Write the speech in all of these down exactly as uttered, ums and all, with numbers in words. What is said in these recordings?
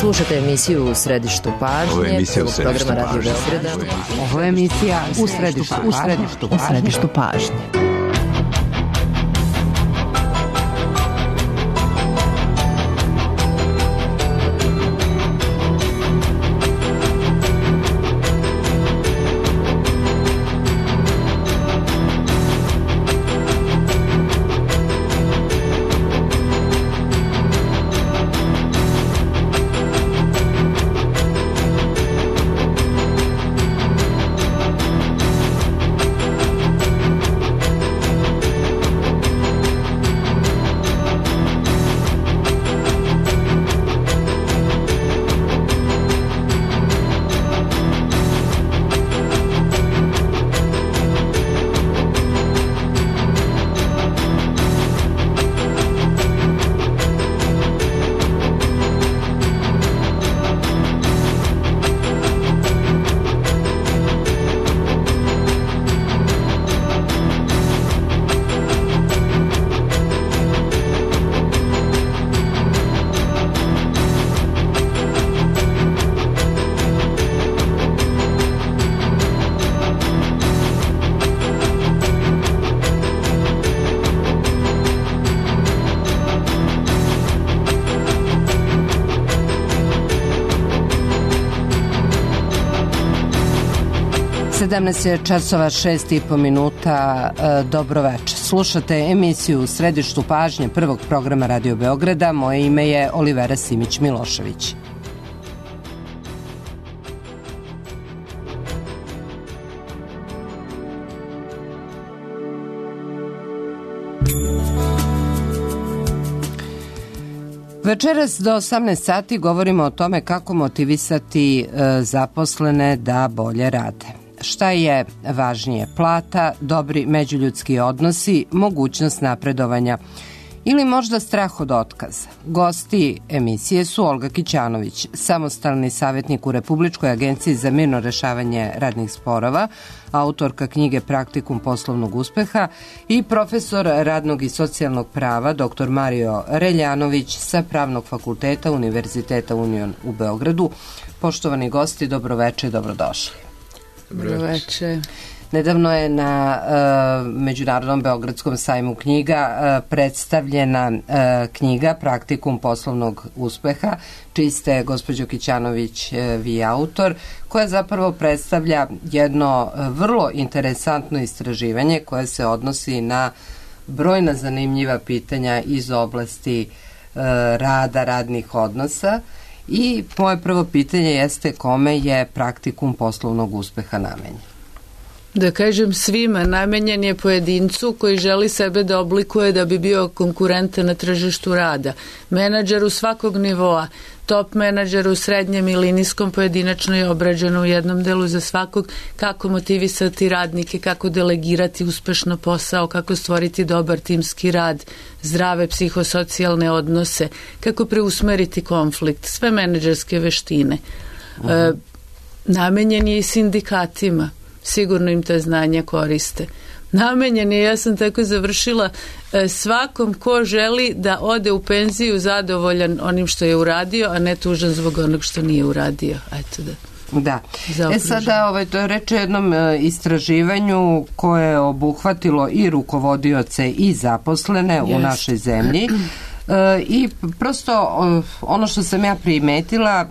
Slušate emisiju U središtu pažnje. Ovo je emisija U središtu programa Radio pažnje. Beograda. Ovo je emisija U središtu, u središtu, u središtu pažnje. sedamnaest je časova šest i po minuta. Dobro večer. Slušate emisiju U središtu pažnje prvog programa Radio Beograda. Moje ime je Olivera Simić-Milošević. Večeras do osamnaest sati govorimo o tome kako motivisati e, zaposlene da bolje rade. Šta je važnije, plata, dobri međuljudski odnosi, mogućnost napredovanja ili možda strah od otkaza? Gosti emisije su Olga Kićanović, samostalni savjetnik u Republičkoj agenciji za mirno rešavanje radnih sporova, autorka knjige Praktikum poslovnog uspeha i profesor radnog i socijalnog prava dr. Mario Reljanović sa Pravnog fakulteta Univerziteta Union u Beogradu. Poštovani gosti, dobroveče i dobrodošli. Dobroveče. Nedavno je na uh, Međunarodnom beogradskom sajmu knjiga uh, predstavljena uh, knjiga Praktikum poslovnog uspeha, čiji ste, gospođo Kićanović, uh, vi autor, koja zapravo predstavlja jedno uh, vrlo interesantno istraživanje koje se odnosi na brojna zanimljiva pitanja iz oblasti uh, rada, radnih odnosa. I moje prvo pitanje jeste kome je Praktikum poslovnog uspeha namenjen? Da kažem svima, namenjen je pojedincu koji želi sebe da oblikuje da bi bio konkurentan na tržištu rada. Menadžeru svakog nivoa, top menadžeru, srednjem ili niskom, pojedinačno je obrađeno u jednom delu za svakog, kako motivisati radnike, kako delegirati uspešno posao, kako stvoriti dobar timski rad, zdrave psihosocijalne odnose, kako preusmeriti konflikt, sve menadžerske veštine. Uh-huh. E, namenjen je i sindikatima. Sigurno im te znanja koriste. Namenjen je, ja sam tako završila, svakom ko želi da ode u penziju zadovoljan onim što je uradio, a ne tužan zbog onog što nije uradio. Eto da. Da. E sada, ovaj, to je reč o jednom e, istraživanju koje je obuhvatilo i rukovodioce i zaposlene yes. u našoj zemlji. E, I prosto ono što sam ja primetila,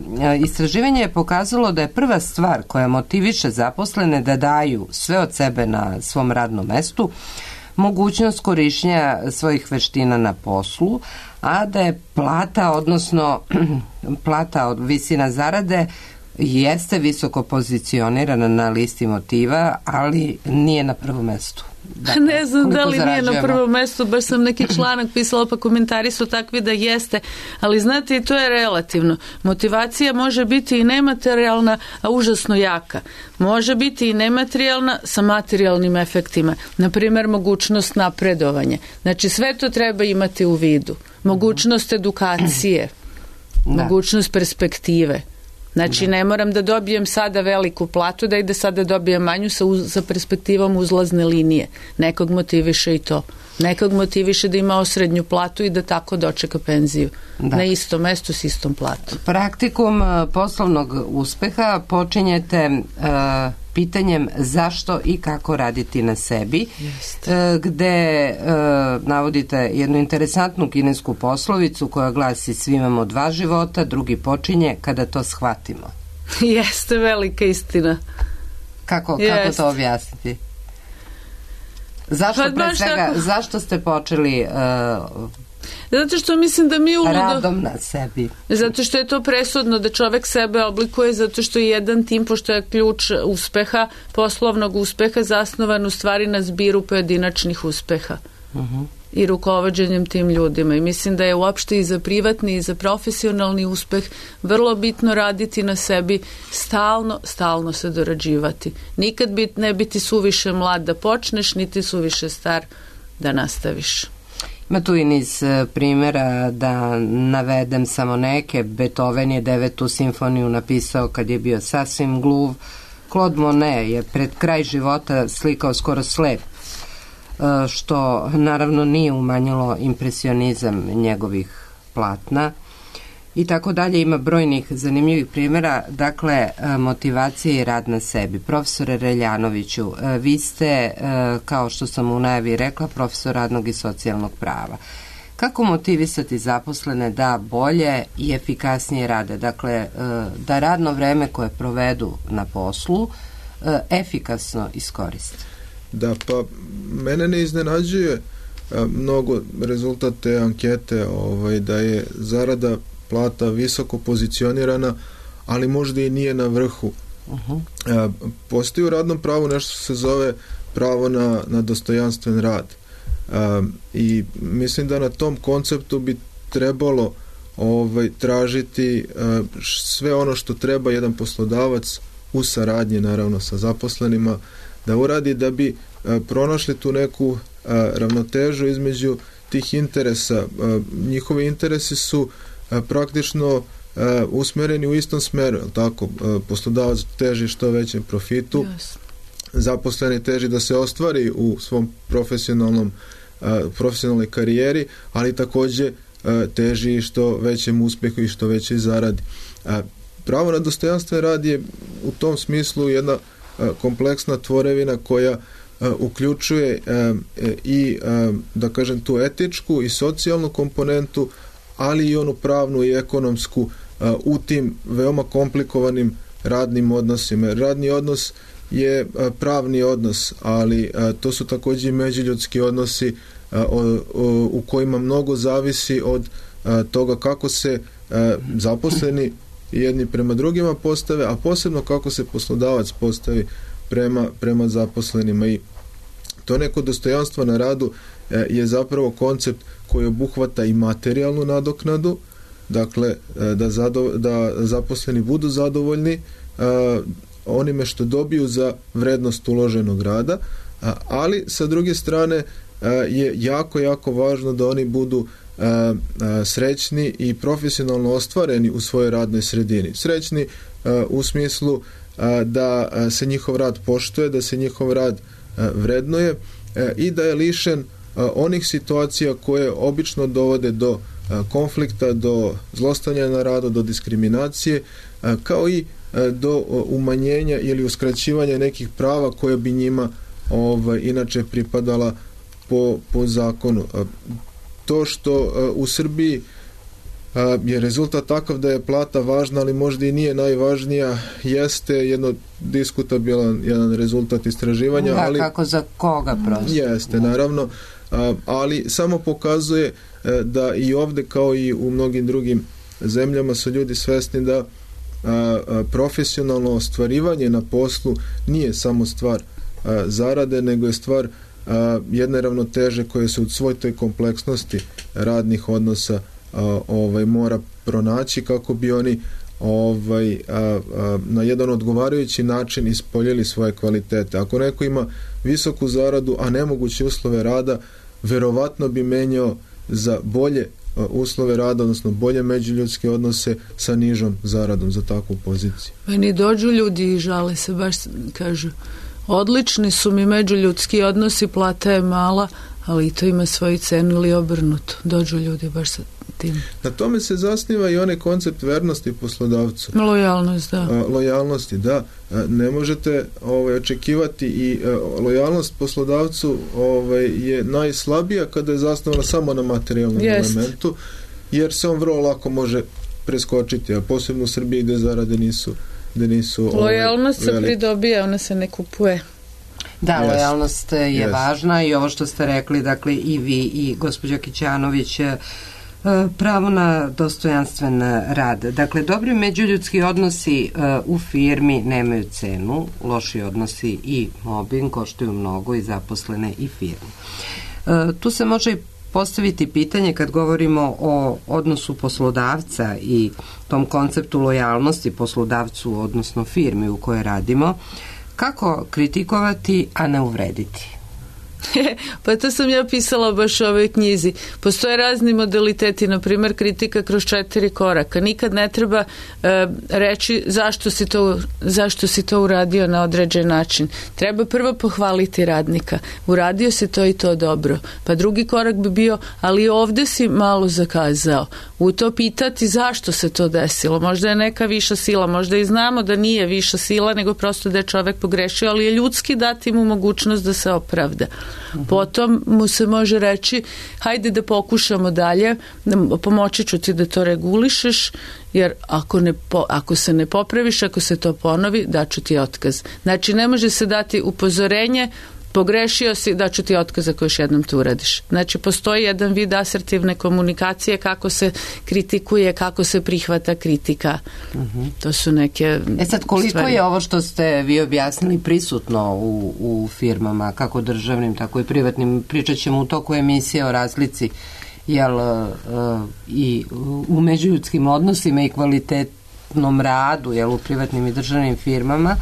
istraživanje je pokazalo da je prva stvar koja motiviše zaposlene da daju sve od sebe na svom radnom mestu mogućnost korišćenja svojih veština na poslu, a da je plata, odnosno plata od visina zarade jeste visoko pozicionirana na listi motiva, ali nije na prvom mestu. Dakle, ne znam da li nije na prvom mestu, baš sam neki članak pisala, pa komentari su takvi da jeste, ali znate, i to je relativno. Motivacija može biti i nematerijalna, a užasno jaka. Može biti i nematerijalna sa materijalnim efektima. Naprimjer, mogućnost napredovanja. Znači, sve to treba imati u vidu. Mogućnost edukacije, da. Mogućnost perspektive. Znači, ne moram da dobijem sada veliku platu, da ide sada dobijem manju sa, uz, sa perspektivom uzlazne linije. Nekog motiviše i to. Nekog motiviše da ima osrednju platu i da tako dočeka penziju. Da. Na istom mestu s istom platom. Praktikum poslovnog uspeha počinjete uh, pitanjem zašto i kako raditi na sebi, uh, gde uh, navodite jednu interesantnu kinesku poslovicu koja glasi svi imamo dva života, drugi počinje kada to shvatimo. Jeste velika istina. Kako, kako to objasniti? Zašto, pre svega, tako... zašto ste počeli uh, zato što mislim da mi uludo... radom na sebi? Zato što je to presudno da čovek sebe oblikuje, zato što je jedan tim, pošto je ključ uspeha, poslovnog uspeha, zasnovan u stvari na zbiru pojedinačnih uspeha. Uh-huh. I rukovođenjem tim ljudima. I mislim da je uopšte i za privatni i za profesionalni uspeh vrlo bitno raditi na sebi, stalno, stalno se dorađivati. Nikad bit, ne biti suviše mlad da počneš, niti suviše star da nastaviš. Ima tu i niz primjera, da navedem samo neke. Beethoven je devetu simfoniju napisao kad je bio sasvim gluv. Claude Monet je pred kraj života slikao skoro slep, što naravno nije umanjilo impresionizam njegovih platna i tako dalje. Ima brojnih zanimljivih primjera. Dakle, motivacija i rad na sebi. Profesore Reljanoviću, vi ste, kao što sam u najavi rekla, profesor radnog i socijalnog prava. Kako motivisati zaposlene da bolje i efikasnije rade? Dakle, da radno vreme koje provedu na poslu efikasno iskoriste. Da, pa mene ne iznenađuje a, mnogo rezultat te ankete, ovaj, da je zarada plata visoko pozicionirana, ali možda i nije na vrhu. Uh-huh. A, postoji u radnom pravu nešto što se zove pravo na, na dostojanstven rad. A, I mislim da na tom konceptu bi trebalo ovaj, tražiti a, sve ono što treba jedan poslodavac u saradnji naravno sa zaposlenima da uradi da bi a, pronašli tu neku a, ravnotežu između tih interesa. A, njihovi interesi su a, praktično a, usmereni u istom smeru, tako? A, poslodavac teži što većem profitu, yes. Zaposleni teži da se ostvari u svom profesionalnom a, profesionalnoj karijeri, ali takođe a, teži što većem uspehu i što veće zaradi. A, pravo na dostojanstven rad je u tom smislu jedna kompleksna tvorevina koja uh, uključuje uh, i uh, da kažem tu etičku i socijalnu komponentu, ali i onu pravnu i ekonomsku uh, u tim veoma komplikovanim radnim odnosima. Radni odnos je uh, pravni odnos, ali uh, to su takođe i međuljudski odnosi uh, o, o, u kojima mnogo zavisi od uh, toga kako se uh, zaposleni jedni prema drugima postave, a posebno kako se poslodavac postavi prema, prema zaposlenima. I to neko dostojanstvo na radu e, je zapravo koncept koji obuhvata i materijalnu nadoknadu, dakle e, da, zado, da zaposleni budu zadovoljni e, onime što dobiju za vrednost uloženog rada, a, ali sa druge strane e, je jako, jako važno da oni budu A, a, srećni i profesionalno ostvareni u svojoj radnoj sredini. Srećni a, u smislu a, da a, se njihov rad poštuje, da se njihov rad a, vrednuje a, i da je lišen a, onih situacija koje obično dovode do a, konflikta, do zlostavljanja na radu, do diskriminacije, a, kao i a, do a, umanjenja ili uskraćivanja nekih prava koje bi njima ovaj, inače pripadala po, po zakonu. A, To što uh, u Srbiji uh, je rezultat takav da je plata važna, ali možda i nije najvažnija, jeste jedno diskutabilan jedan rezultat istraživanja. Da, ali, kako za koga prosto. Jeste, naravno, uh, ali samo pokazuje uh, da i ovde kao i u mnogim drugim zemljama su ljudi svesni da uh, uh, profesionalno ostvarivanje na poslu nije samo stvar uh, zarade, nego je stvar A, jedne ravnoteže koje se u svoj toj kompleksnosti radnih odnosa a, ovaj, mora pronaći kako bi oni ovaj, a, a, na jedan odgovarajući način ispoljili svoje kvalitete. Ako neko ima visoku zaradu, a nemoguće uslove rada, verovatno bi menjao za bolje a, uslove rada, odnosno bolje međuljudske odnose sa nižom zaradom za takvu poziciju. Meni dođu ljudi i žale se, baš kažu odlični su mi međuljudski odnosi, plata je mala, ali i to ima svoju cenu ili obrnuto. Dođu ljudi baš sa tim. Na tome se zasniva i onaj koncept vernosti poslodavcu. Lojalnost, da. A, lojalnosti, da. A, ne možete ovaj, očekivati i a, lojalnost poslodavcu ovaj, je najslabija kada je zasnovana samo na materijalnom Jest. elementu, jer se on vrlo lako može preskočiti, a posebno u Srbiji gde zarade nisu, gde nisu lojalnost ovaj, se pridobija, ona se ne kupuje. Da, yes. lojalnost je yes. važna i ovo što ste rekli, dakle i vi i gospođa Kićanović, pravo na dostojanstven rad. Dakle, dobri međuljudski odnosi u firmi nemaju cenu, loši odnosi i mobbing koštaju mnogo i zaposlene i firme. Tu se može postaviti pitanje kad govorimo o odnosu poslodavca i tom konceptu lojalnosti poslodavcu, odnosno firmi u kojoj radimo, kako kritikovati, a ne uvrediti? Pa to sam ja pisala baš u ovoj knjizi. Postoje razni modaliteti, na primjer kritika kroz četiri koraka. Nikad ne treba e, reći zašto si, to, zašto si to uradio na određen način. Treba prvo pohvaliti radnika. Uradio si to i to dobro. Pa drugi korak bi bio, ali ovdje si malo zakazao. U to pitati zašto se to desilo. Možda je neka viša sila, možda i znamo da nije viša sila, nego prosto da je čovek pogrešio, ali je ljudski dati mu mogućnost da se opravda. Uh-huh. Potom mu se može reći hajde da pokušamo dalje, pomoći ću ti da to regulišeš, jer ako, ne po, ako se ne popraviš, ako se to ponovi, daću ti otkaz. Znači ne može se dati upozorenje, pogrešio si, daću ti otkaz ako još jednom to uradiš. Znači postoji jedan vid asertivne komunikacije, kako se kritikuje, kako se prihvata kritika. Uh-huh. To su neke E sad, koliko stvari. Je ovo što ste vi objasnili prisutno u, u firmama, kako državnim, tako i privatnim? Pričat ćemo u toku emisije o razlici jel, uh, i u međuljudskim odnosima i kvalitetnom radu jel, u privatnim i državnim firmama,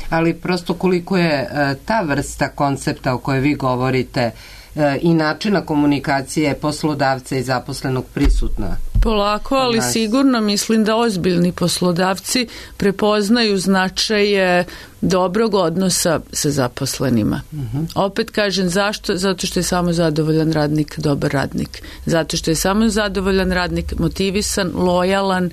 ali prosto koliko je e, ta vrsta koncepta o kojoj vi govorite e, i načina komunikacije poslodavca i zaposlenog prisutna. Polako, ali sigurno mislim da ozbiljni poslodavci prepoznaju značaj dobrog odnosa sa zaposlenima. Uh-huh. Opet kažem zašto? Zato što je samo zadovoljan radnik dobar radnik. Zato što je samo zadovoljan radnik motivisan, lojalan,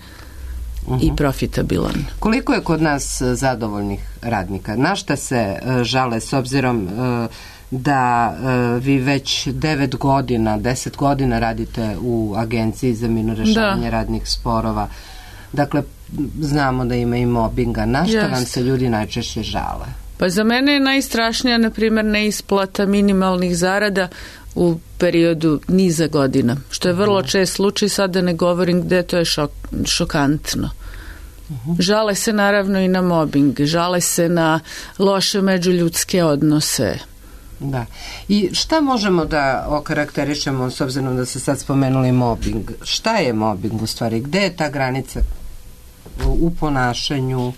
Uh-huh. i profitabilan. Koliko je kod nas zadovoljnih radnika? Na šta se uh, žale s obzirom uh, da uh, vi već devet godina, deset godina radite u Agenciji za mirno rešavanje da. radnih sporova. Dakle, znamo da ima i mobinga. Na šta Just. vam se ljudi najčešće žale? Pa za mene je najstrašnija, na primjer, neisplata minimalnih zarada u periodu niza godina, što je vrlo čest slučaj, sad da ne govorim gde, to je šok, šokantno. Uh-huh. Žale se naravno i na mobbing, žale se na loše međuljudske odnose. Da. I šta možemo da okarakterišemo, s obzirom da se sad spomenuli mobbing? Šta je mobbing u stvari? Gde je ta granica u ponašanju?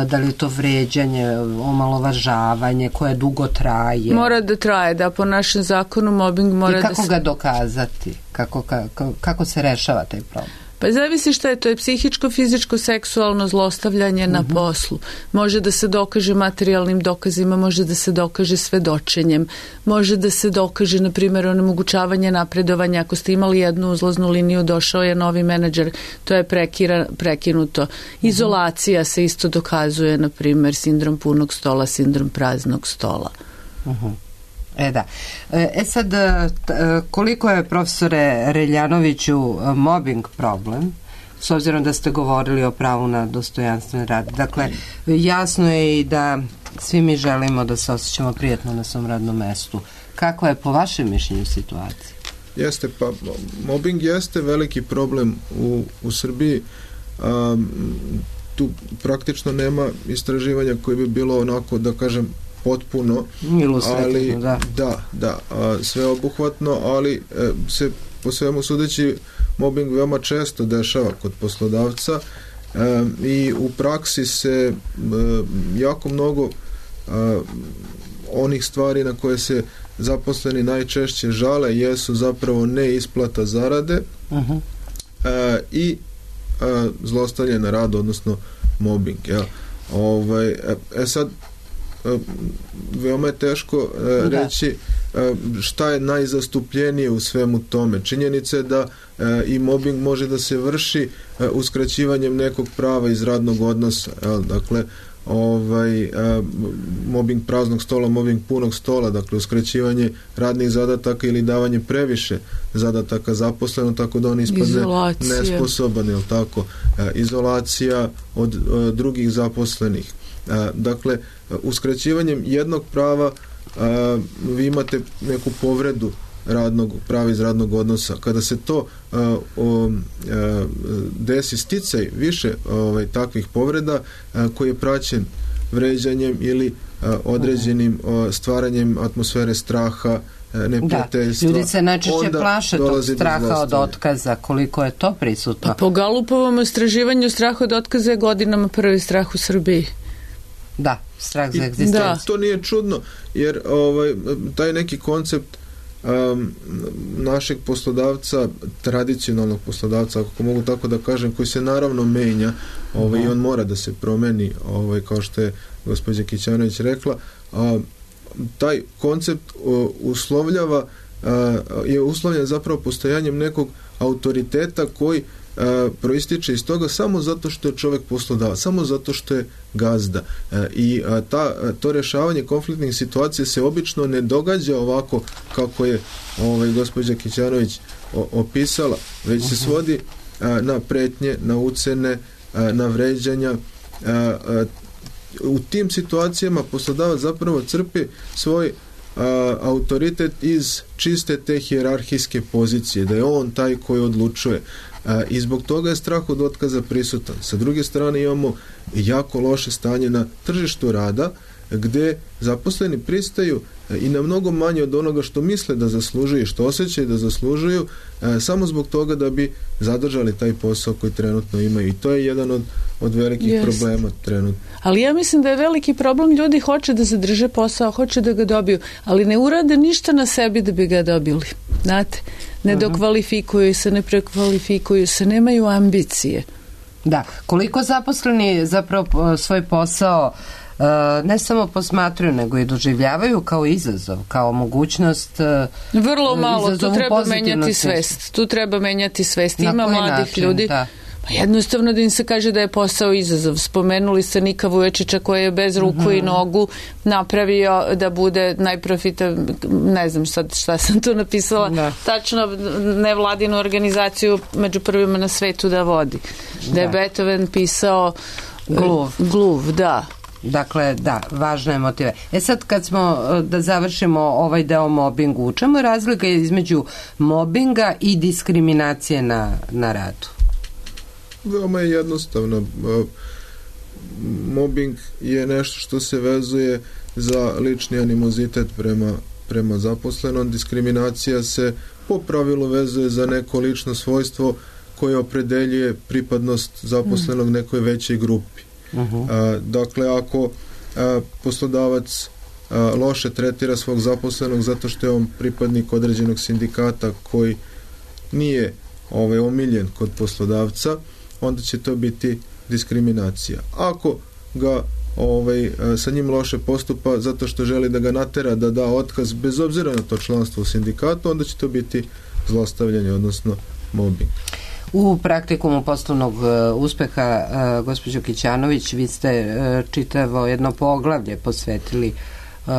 Da li je to vređanje, omalovažavanje koje dugo traje? Mora da traje, da, po našem zakonu mobbing mora da se... I kako da ga dokazati? Kako, kako, kako se rešava taj problem? Pa zavisi šta je, to je psihičko, fizičko, seksualno zlostavljanje uh-huh. na poslu. Može da se dokaže materijalnim dokazima, može da se dokaže svedočenjem, može da se dokaže, na primjer, onemogućavanje napredovanja. Ako ste imali jednu uzlaznu liniju, došao je novi menadžer, to je prekira, prekinuto. Izolacija se isto dokazuje, na primjer, sindrom punog stola, sindrom praznog stola. Uh-huh. E da. E sad, koliko je, profesore Reljanoviću, mobbing problem, s obzirom da ste govorili o pravu na dostojanstven rad? Dakle, jasno je i da svi mi želimo da se osjećamo prijatno na svom radnom mestu. Kakva je po vašem mišljenju situacija? Jeste, pa mobbing jeste veliki problem u, u Srbiji. Um, tu praktično nema istraživanja koje bi bilo onako, da kažem, potpuno, ali da, da, da a, sveobuhvatno, ali e, se po svemu sudeći mobbing veoma često dešava kod poslodavca e, i u praksi se e, jako mnogo a, onih stvari na koje se zaposleni najčešće žale jesu zapravo neisplata zarade uh-huh. e, i e, zlostavljanje na radu, odnosno mobbing. Ja. Ovaj, e, e sad veoma je teško uh, reći šta je najzastupljenije u svemu tome. Činjenica je da i mobbing može da se vrši uskraćivanjem nekog prava iz radnog odnosa. Dakle, ovaj, mobbing praznog stola, mobbing punog stola, dakle uskraćivanje radnih zadataka ili davanje previše zadataka zaposlenom, tako da on ispadne nesposoban, jel tako? Izolacija od drugih zaposlenih. Dakle, uskraćivanjem jednog prava vi imate neku povredu radnog, prava iz radnog odnosa. Kada se to uh, uh, desi sticaj više ovaj, takvih povreda uh, koji je praćen vređanjem ili uh, određenim uh, stvaranjem atmosfere straha, uh, neprijateljstva. Da, ljudi se najčešće plaše tog straha od otkaza, koliko je to prisutno. A po Galupovom istraživanju strah od otkaza je godinama prvi strah u Srbiji. Da, strah za egzistenciju. Da. To nije čudno, jer ovaj, taj neki koncept Um, našeg poslodavca, tradicionalnog poslodavca, ako mogu tako da kažem, koji se naravno menja, ovaj, i on mora da se promeni, ovaj, kao što je gospođa Kićanović rekla, a, taj koncept o, uslovljava a, je uslovljen zapravo postojanjem nekog autoriteta koji a, proističe iz toga samo zato što je čovjek poslodavac, samo zato što je gazda. E, i a, ta, a, to rješavanje konfliktnih situacija se obično ne događa ovako kako je ovaj, gospođa Kićanović o, opisala, već se svodi a, na pretnje, na ucene, a, na vređanja. A, a, u tim situacijama poslodavac zapravo crpi svoj a, autoritet iz čiste te hijerarhijske pozicije, da je on taj koji odlučuje. A, i zbog toga je strah od otkaza prisutan. Sa druge strane imamo jako loše stanje na tržištu rada, gde zaposleni pristaju i na mnogo manje od onoga što misle da zaslužuju i što osjećaju da zaslužuju, e, samo zbog toga da bi zadržali taj posao koji trenutno imaju. I to je jedan od, od velikih Jest. problema trenutno. Ali ja mislim da je veliki problem, ljudi hoće da zadrže posao, hoće da ga dobiju, ali ne urade ništa na sebi da bi ga dobili. Znate, ne uh-huh. dokvalifikuju se, ne prekvalifikuju se, nemaju ambicije. Da, koliko zaposleni zapravo svoj posao ne samo posmatruju, nego i doživljavaju kao izazov, kao mogućnost. Vrlo malo, tu treba menjati svest. Tu treba menjati svest. Ima mladih način, ljudi. Da. Pa jednostavno da im se kaže da je posao izazov. Spomenuli ste Nika Vuječića koji je bez ruku uh-huh. i nogu napravio da bude najprofita, ne znam sad šta sam tu napisala, da. tačno nevladinu organizaciju među prvima na svetu da vodi. Da, da je Beethoven pisao Gluv. Gluv, da. Dakle, da, važna je motiva. E sad kad smo, da završimo ovaj deo o mobingu, u čemu je razlika između mobinga i diskriminacije na, na radu? Veoma je jednostavno. Mobing je nešto što se vezuje za lični animozitet prema, prema zaposlenom. Diskriminacija se po pravilu vezuje za neko lično svojstvo koje opredeljuje pripadnost zaposlenog nekoj većoj grupi. Uh-huh. A, dakle, ako a, poslodavac a, loše tretira svog zaposlenog zato što je on pripadnik određenog sindikata koji nije ovaj, omiljen kod poslodavca, onda će to biti diskriminacija. Ako ga ovaj, sa njim loše postupa zato što želi da ga natera da da otkaz bez obzira na to članstvo u sindikatu, onda će to biti zlostavljanje, odnosno mobbing. U praktikumu poslovnog uh, uspeha, uh, gospođo Kićanović, vi ste uh, čitavo jedno poglavlje posvetili uh,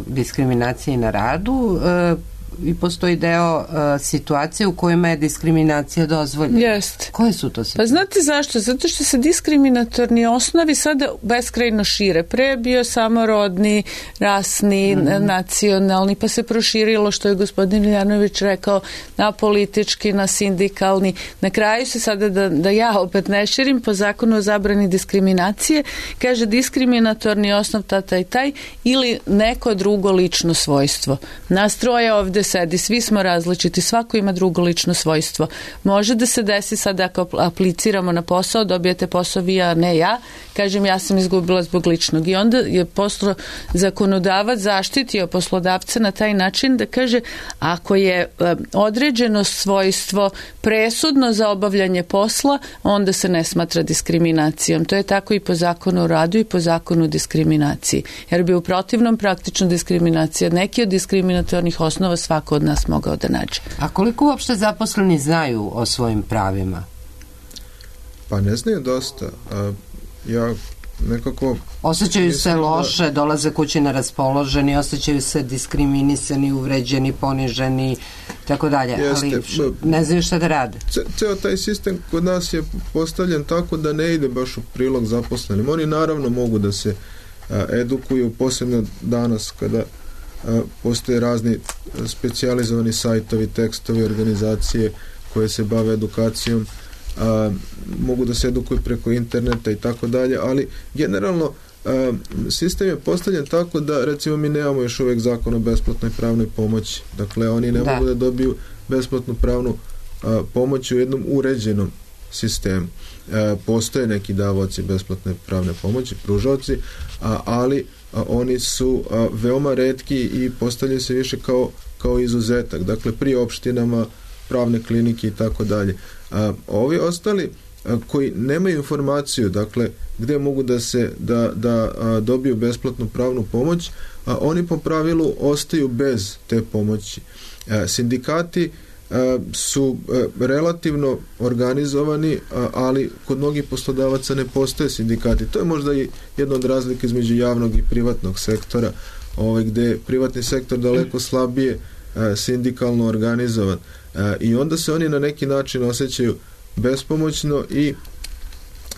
diskriminaciji na radu uh, i postoji deo uh, situacije u kojima je diskriminacija dozvoljena. Jeste. Koje su to situacije? Pa znate zašto? Zato što se diskriminatorni osnovi sada beskrajno šire. Pre je bio samo rodni, rasni, mm-hmm. nacionalni, pa se proširilo, što je gospodin Iljanović rekao, na politički, na sindikalni. Na kraju se sada, da, da ja opet ne širim, po zakonu o zabrani diskriminacije, kaže diskriminatorni osnov ta, taj, taj, ili neko drugo lično svojstvo. Nas troje ovde ovde sedi, svi smo različiti, svako ima drugo lično svojstvo. Može da se desi sad ako apliciramo na posao, dobijete posao vi, a ne ja, kažem ja sam izgubila zbog ličnog. I onda je poslo zakonodavac zaštitio poslodavca na taj način da kaže ako je određeno svojstvo presudno za obavljanje posla, onda se ne smatra diskriminacijom. To je tako i po zakonu o radu i po zakonu o diskriminaciji. Jer bi u protivnom praktično diskriminacija, neki od diskriminatornih osnova svako od nas mogao da nađe. A koliko uopšte zaposleni znaju o svojim pravima? Pa ne znaju dosta. A, ja nekako... Osjećaju se loše, da... dolaze kući neraspoloženi, osjećaju se diskriminisani, uvređeni, poniženi, tako dalje. Ali ne znaju šta da rade. Ce, ceo taj sistem kod nas je postavljen tako da ne ide baš u prilog zaposlenim. Oni naravno mogu da se a, edukuju, posebno danas kada a, postoje razni specijalizovani sajtovi, tekstovi, organizacije koje se bave edukacijom. A, mogu da se edukuju preko interneta i tako dalje, ali generalno a, sistem je postavljen tako da recimo mi nemamo još uvijek zakon o besplatnoj pravnoj pomoći, dakle oni ne da. mogu da dobiju besplatnu pravnu a, pomoć u jednom uređenom sistemu. A, postoje neki davaoci besplatne pravne pomoći, pružaoci, a, ali a, oni su a, veoma retki i postavljaju se više kao, kao izuzetak, dakle pri opštinama, pravne klinike i tako dalje. A ovi ostali a, koji nemaju informaciju, dakle, gde mogu da se da, da a, dobiju besplatnu pravnu pomoć, a oni po pravilu ostaju bez te pomoći. A, sindikati a, su a, relativno organizovani, a, ali kod mnogih poslodavaca ne postoje sindikati. To je možda i jedna od razlika između javnog i privatnog sektora, ovaj, gde je privatni sektor daleko slabije a, sindikalno organizovan. E, i onda se oni na neki način osjećaju bespomoćno i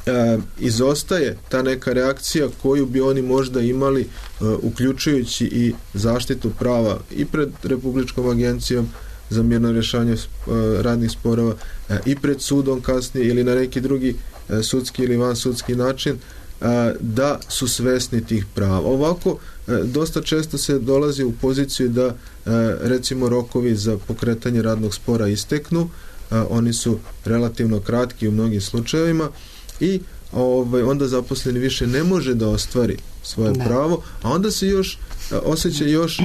e, izostaje ta neka reakcija koju bi oni možda imali e, uključujući i zaštitu prava i pred Republičkom agencijom za mirno rješavanje e, radnih sporova e, i pred sudom kasnije ili na neki drugi e, sudski ili vansudski način, e, da su svesni tih prava. Ovako e, dosta često se dolazi u poziciju da recimo rokovi za pokretanje radnog spora isteknu, oni su relativno kratki u mnogim slučajevima i ovaj, onda zaposleni više ne može da ostvari svoje ne. pravo, a onda se još osjeća još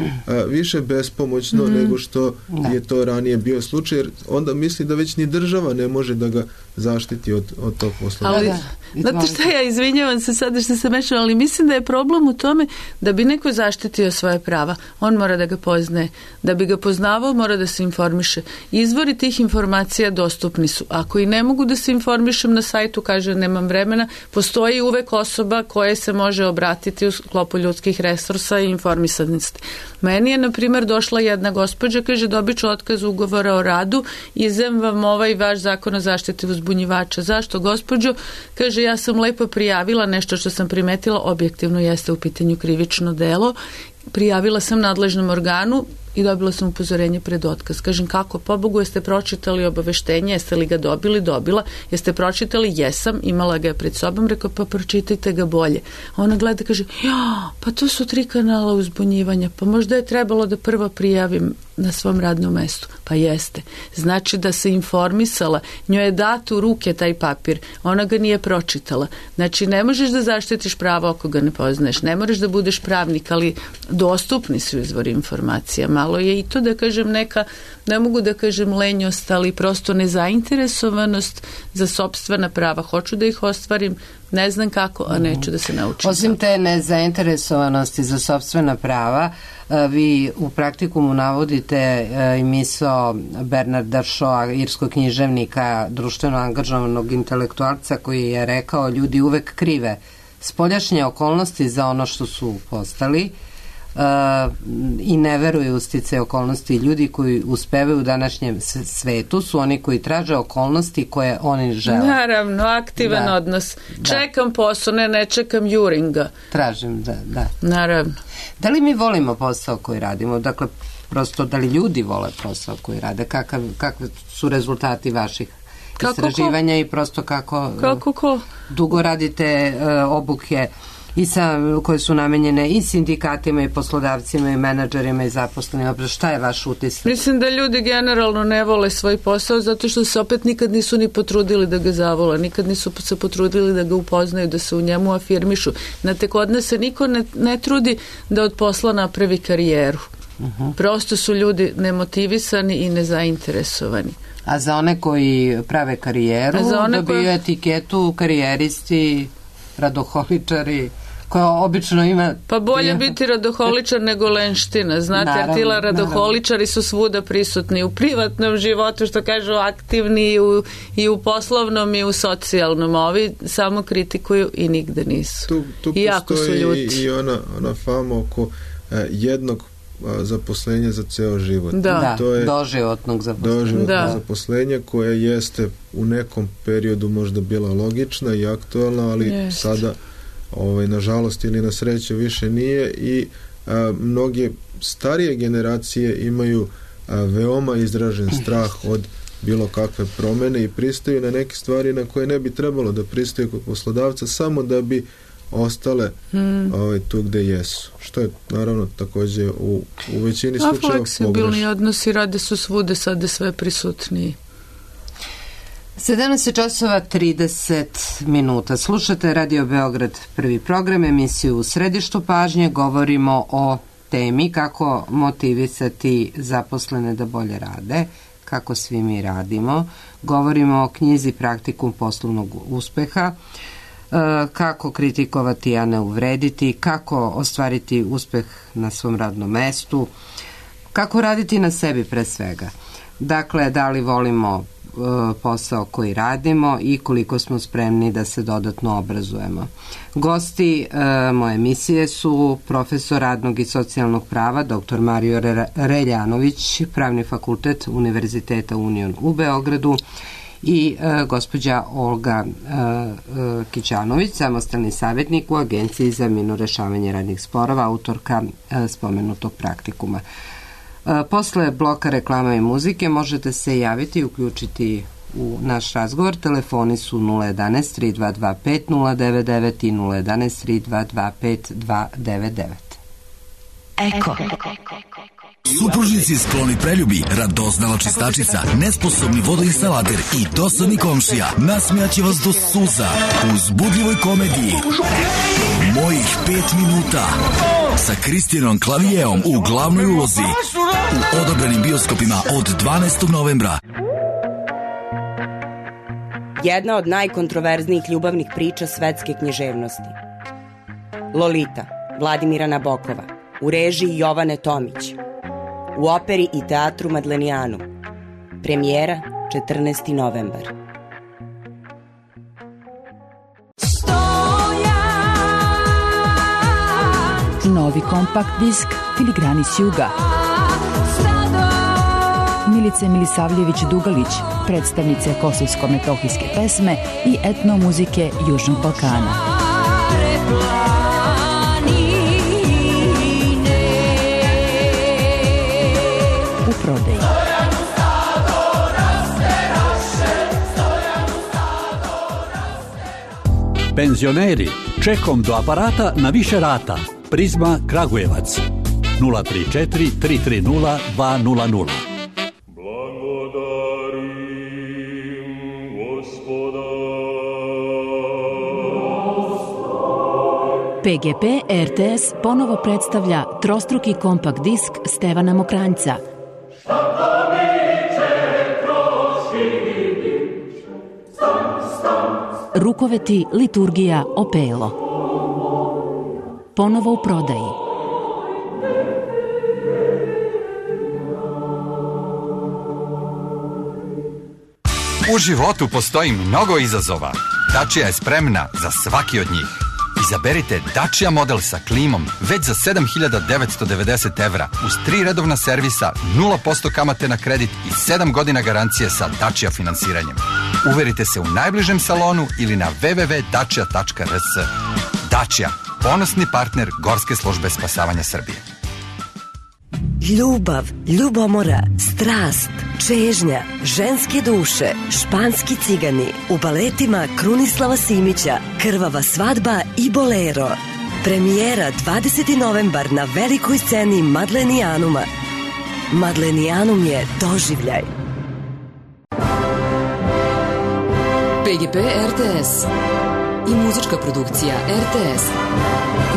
više bespomoćno mm. nego što ne. je to ranije bio slučaj, jer onda misli da već ni država ne može da ga zaštiti od, od tog poslodavca. Ali, znate šta, ja izvinjavam se sada što se mešam, ali mislim da je problem u tome da bi neko zaštitio svoje prava, on mora da ga poznaje. Da bi ga poznavao, mora da se informiše. Izvori tih informacija dostupni su. Ako i ne mogu da se informišem na sajtu, kaže nemam vremena, postoji uvek osoba koja se može obratiti u sklopu ljudskih resursa i informisanosti. Meni je, na primjer, došla jedna gospođa, kaže, dobit ću otkaz ugovora o radu, izem vam ovaj vaš zakon o zaštiti uzbunjivača. Zašto, gospođo? Kaže, ja sam lepo prijavila nešto što sam primetila, objektivno jeste u pitanju krivično delo, prijavila sam nadležnom organu i dobila sam upozorenje pred otkaz. Kažem, kako? Pobogu, jeste pročitali obaveštenje, jeste li ga dobili? Dobila. Jeste pročitali? Jesam, imala ga je pred sobom, rekao, pa pročitajte ga bolje. Ona gleda, kaže, ja, pa to su tri kanala uzbunjivanja, pa možda je trebalo da prvo prijavim na svom radnom mestu. Pa jeste. Znači da se informisala, njoj je dat u ruke taj papir, ona ga nije pročitala. Znači ne možeš da zaštitiš pravo ako ga ne poznaješ, ne moraš da budeš pravnik, ali dostupni su izvori informacija. Malo je i to, da kažem, neka, ne mogu da kažem lenjost, ali prosto nezainteresovanost za sopstvena prava. Hoću da ih ostvarim, ne znam kako, a neću da se naučim. Osim te nezainteresovanosti za sopstvena prava, vi u praktikumu navodite i misao Bernarda Shawa, irskog književnika, društveno angažovanog intelektualca, koji je rekao, ljudi uvek krive spoljašnje okolnosti za ono što su postali, Uh, i ne veruju u stice okolnosti. Ljudi koji uspevaju u današnjem svetu su oni koji traže okolnosti koje oni žele. Naravno, aktivan da. odnos. Da. Čekam posao, ne, ne čekam juringa. Tražim, da, da. Naravno. Da li mi volimo posao koji radimo? Dakle, prosto, da li ljudi vole posao koji rade? Kakav, kakve su rezultati vaših kako istraživanja ko? i prosto kako, kako ko? dugo radite uh, obuke i sa, koje su namenjene i sindikatima i poslodavcima i menadžerima i zaposlenima. Šta je vaš utisak? Mislim da ljudi generalno ne vole svoj posao zato što se opet nikad nisu ni potrudili da ga zavole, nikad nisu se potrudili da ga upoznaju, da se u njemu afirmišu. Znate, kod nas se niko ne, ne trudi da od posla napravi karijeru. Uh-huh. Prosto su ljudi nemotivisani i nezainteresovani. A za one koji prave karijeru, dobiju koje... etiketu karijeristi, radoholičari, koja obično ima... Pa bolje biti radoholičar nego lenština, znate, naravno, jer tila radoholičari naravno. Su svuda prisutni u privatnom životu, što kažu, aktivni i u, i u poslovnom i u socijalnom, a ovi samo kritikuju i nigde nisu. Tu, tu I jako su ljuti. I ona, ona fama oko eh, jednog zaposlenja za ceo život. Da, to je doživotnog zaposlenja. Doživotnog da. zaposlenja koje jeste u nekom periodu možda bila logična i aktualna, ali Jest. sada ovaj, nažalost ili na sreću više nije i a, mnoge starije generacije imaju a, veoma izražen strah od bilo kakve promene i pristaju na neke stvari na koje ne bi trebalo da pristaju kod poslodavca samo da bi ostale hmm. ovaj, tu gde jesu. Što je naravno takođe u, u većini slučajeva pogrešno. A fleksibilni odnosi rade su svude sada sve prisutniji. sedamnaest časova trideset minuta. Slušate Radio Beograd, prvi program, emisiju U središtu pažnje. Govorimo o temi kako motivisati zaposlene da bolje rade, kako svi mi radimo. Govorimo o knjizi Praktikum poslovnog uspeha, kako kritikovati, a ne uvrediti, kako ostvariti uspeh na svom radnom mestu, kako raditi na sebi pre svega. Dakle, da li volimo posao koji radimo i koliko smo spremni da se dodatno obrazujemo. Gosti e, moje emisije su profesor radnog i socijalnog prava dr. Mario Reljanović, Pravni fakultet Univerziteta Union u Beogradu, i e, gospođa Olga e, e, Kićanović, samostalni savjetnik u Agenciji za mirno rešavanje radnih sporova, autorka e, spomenutog praktikuma. E, posle bloka reklama i muzike možete se javiti i uključiti u naš razgovor. Telefoni su nula jedanaest tri dva dva pet nula devet devet i nula jedanaest tri dva dva pet dva devet devet. Eko. Supružnici skloni preljubi, radoznala čistačica, nesposobni vodoinstalater i dosadni komšija nasmijaće vas do suza u uzbudljivoj komediji Mojih pet minuta sa Kristijanom Klavijeom u glavnoj ulozi u odobrenim bioskopima od dvanaestog novembra. Jedna od najkontroverznijih ljubavnih priča svetske književnosti. Lolita, Vladimira Nabokova, u režiji Jovane Tomić. U operi i teatru Madlenijanu. Premijera četrnaesti novembar. Novi kompakt disk Filigrani s juga. Milice Milisavljević-Dugalić, predstavnice kosovsko-metohijske pesme i etnomuzike Južnog Balkana. U prodaji. Penzioneri, čekom do aparata na više rata. Prizma Kragujevac nula tri četiri tri tri nula dva nula nula. P G P R T S ponovo predstavlja trostruki kompakt disk Stevana Mokranjca. Rukoveti, liturgija, opelo. Ponovo u prodaji. U životu postoji mnogo izazova. Dacia je spremna za svaki od njih. Izaberite Dacia model sa klimom već za sedam hiljada devetsto devedeset evra uz tri redovna servisa, nula posto kamate na kredit i sedam godina garancije sa Dacia finansiranjem. Uverite se u najbližem salonu ili na w w w tačka dacia tačka r s. Dacia, ponosni partner Gorske službe spasavanja Srbije. Ljubav, ljubomora, strast, čežnja, ženske duše, španski cigani, u baletima Krunislava Simića, Krvava svadba i Bolero. Premijera dvadeseti novembar na velikoj sceni Madlenijanuma. Madlenijanum je doživljaj. P G P R T S i muzička produkcija R T S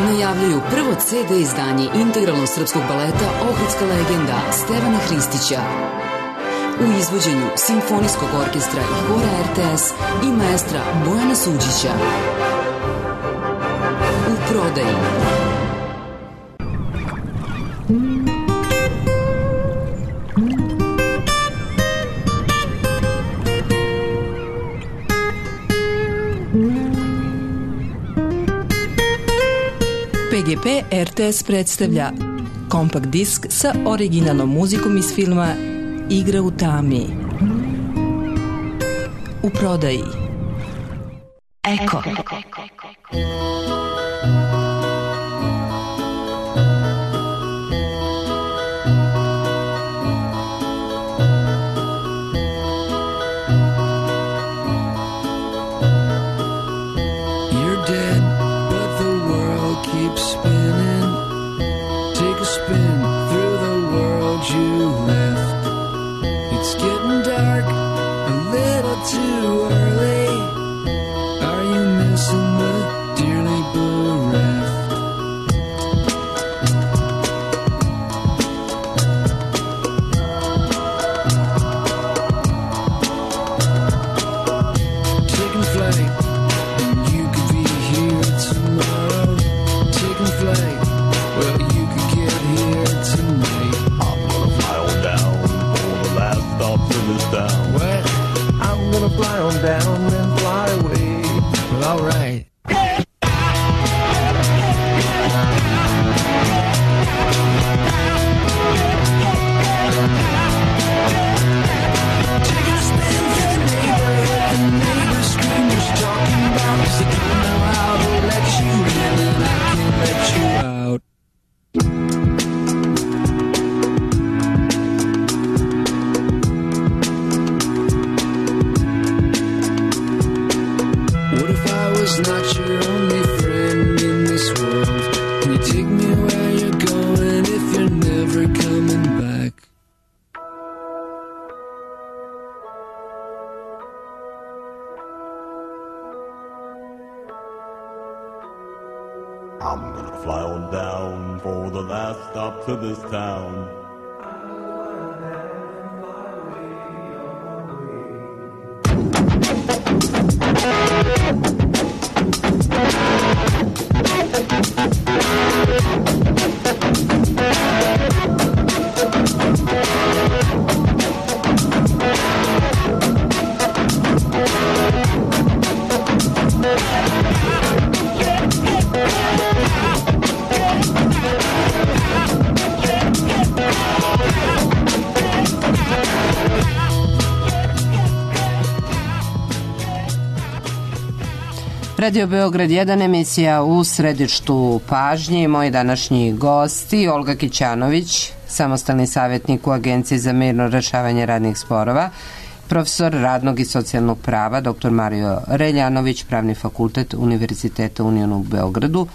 najavljuju prvo C D izdanje integralnog srpskog baleta Ohridska legenda Stevana Hristića u izvođenju Simfonijskog orkestra i hora R T S i maestra Bojana Suđića. U prodaji. P G P R T S predstavlja kompakt disk sa originalnom muzikom iz filma Igra u tami. U prodaji. Eko. I'm gonna fly on down for the last stop to this town. Radio Beograd jedan, emisija u središtu pažnje i moji današnji gosti Olga Kićanović, samostalni savjetnik u Agenciji za mirno rešavanje radnih sporova, profesor radnog i socijalnog prava doktor Mario Reljanović, Pravni fakultet Univerziteta Union u Beogradu.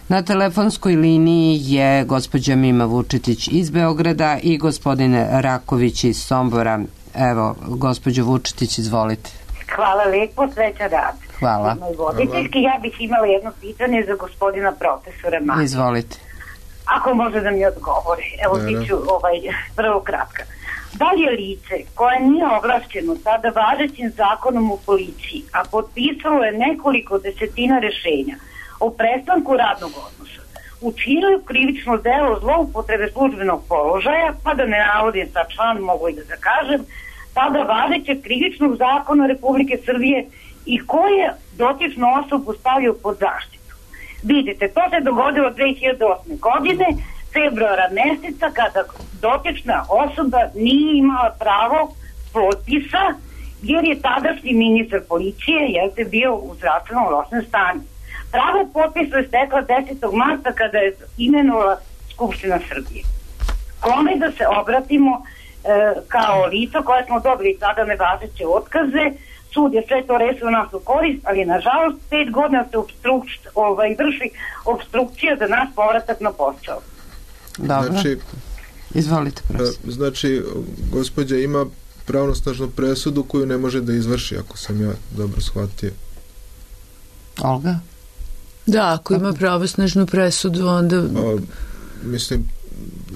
Na telefonskoj liniji je gospođa Mima Vučetić iz Beograda i gospodin Raković iz Sombora. Evo, gospođo Vučetić, izvolite. Hvala lepo, sreća rad. Hvala. Voditeljski, ja bih imala jedno pitanje za gospodina profesora Marija. Izvolite. Ako može da mi odgovori. Evo, ti ću ovaj, prvo kratka. Da li je lice koje nije ovlašćeno sada važećim zakonom u policiji, a potpisalo je nekoliko desetina rešenja o prestanku radnog odnosa, učinilo krivično delo zloupotrebe službenog položaja, pa da ne navodim sa član, mogu i da zakažem, tada važećeg krivičnog zakona Republike Srbije i ko je dotičnu osobu stavio pod zaštitu. Vidite, to se dogodilo dve hiljade osme. godine, februara meseca, kada dotična osoba nije imala pravo potpisa, jer je tadašnji ministar policije jeste bio u zdravstvenom lošem stanju. Pravo potpisa je stekla desetog marta kada je imenovala Skupština Srbije. Kome da se obratimo kao lico koje smo dobili sada nevažeće otkaze. Sud je sve to rešio nas u korist, ali nažalost pet godina se obstrukč, ovaj, vrši obstrukcija za naš povratak na posao. Dobro. Znači, izvolite, prosim. Znači, gospođa ima pravnosnažnu presudu koju ne može da izvrši, ako sam ja dobro shvatio. Olga? Da, ako ima pravosnažnu presudu, onda... A, mislim,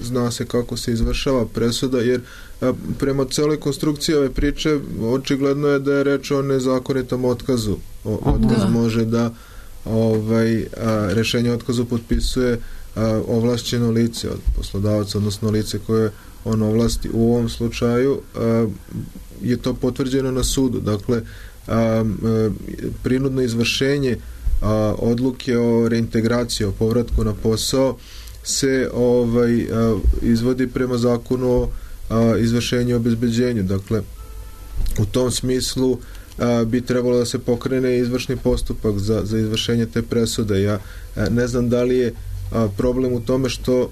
zna se kako se izvršava presuda, jer a, prema celoj konstrukciji ove priče očigledno je da je reč o nezakonitom otkazu. O, otkaz da. može da ovaj, a, rešenje o otkazu potpisuje a, ovlašćeno lice od poslodavaca, odnosno lice koje on ovlasti. U ovom slučaju a, je to potvrđeno na sudu. Dakle, a, a, prinudno izvršenje a, odluke o reintegraciji, o povratku na posao se ovaj a, izvodi prema zakonu o a, izvršenju i obezbeđenju. Dakle, u tom smislu a, bi trebalo da se pokrene izvršni postupak za, za izvršenje te presude. Ja a, ne znam da li je a, problem u tome što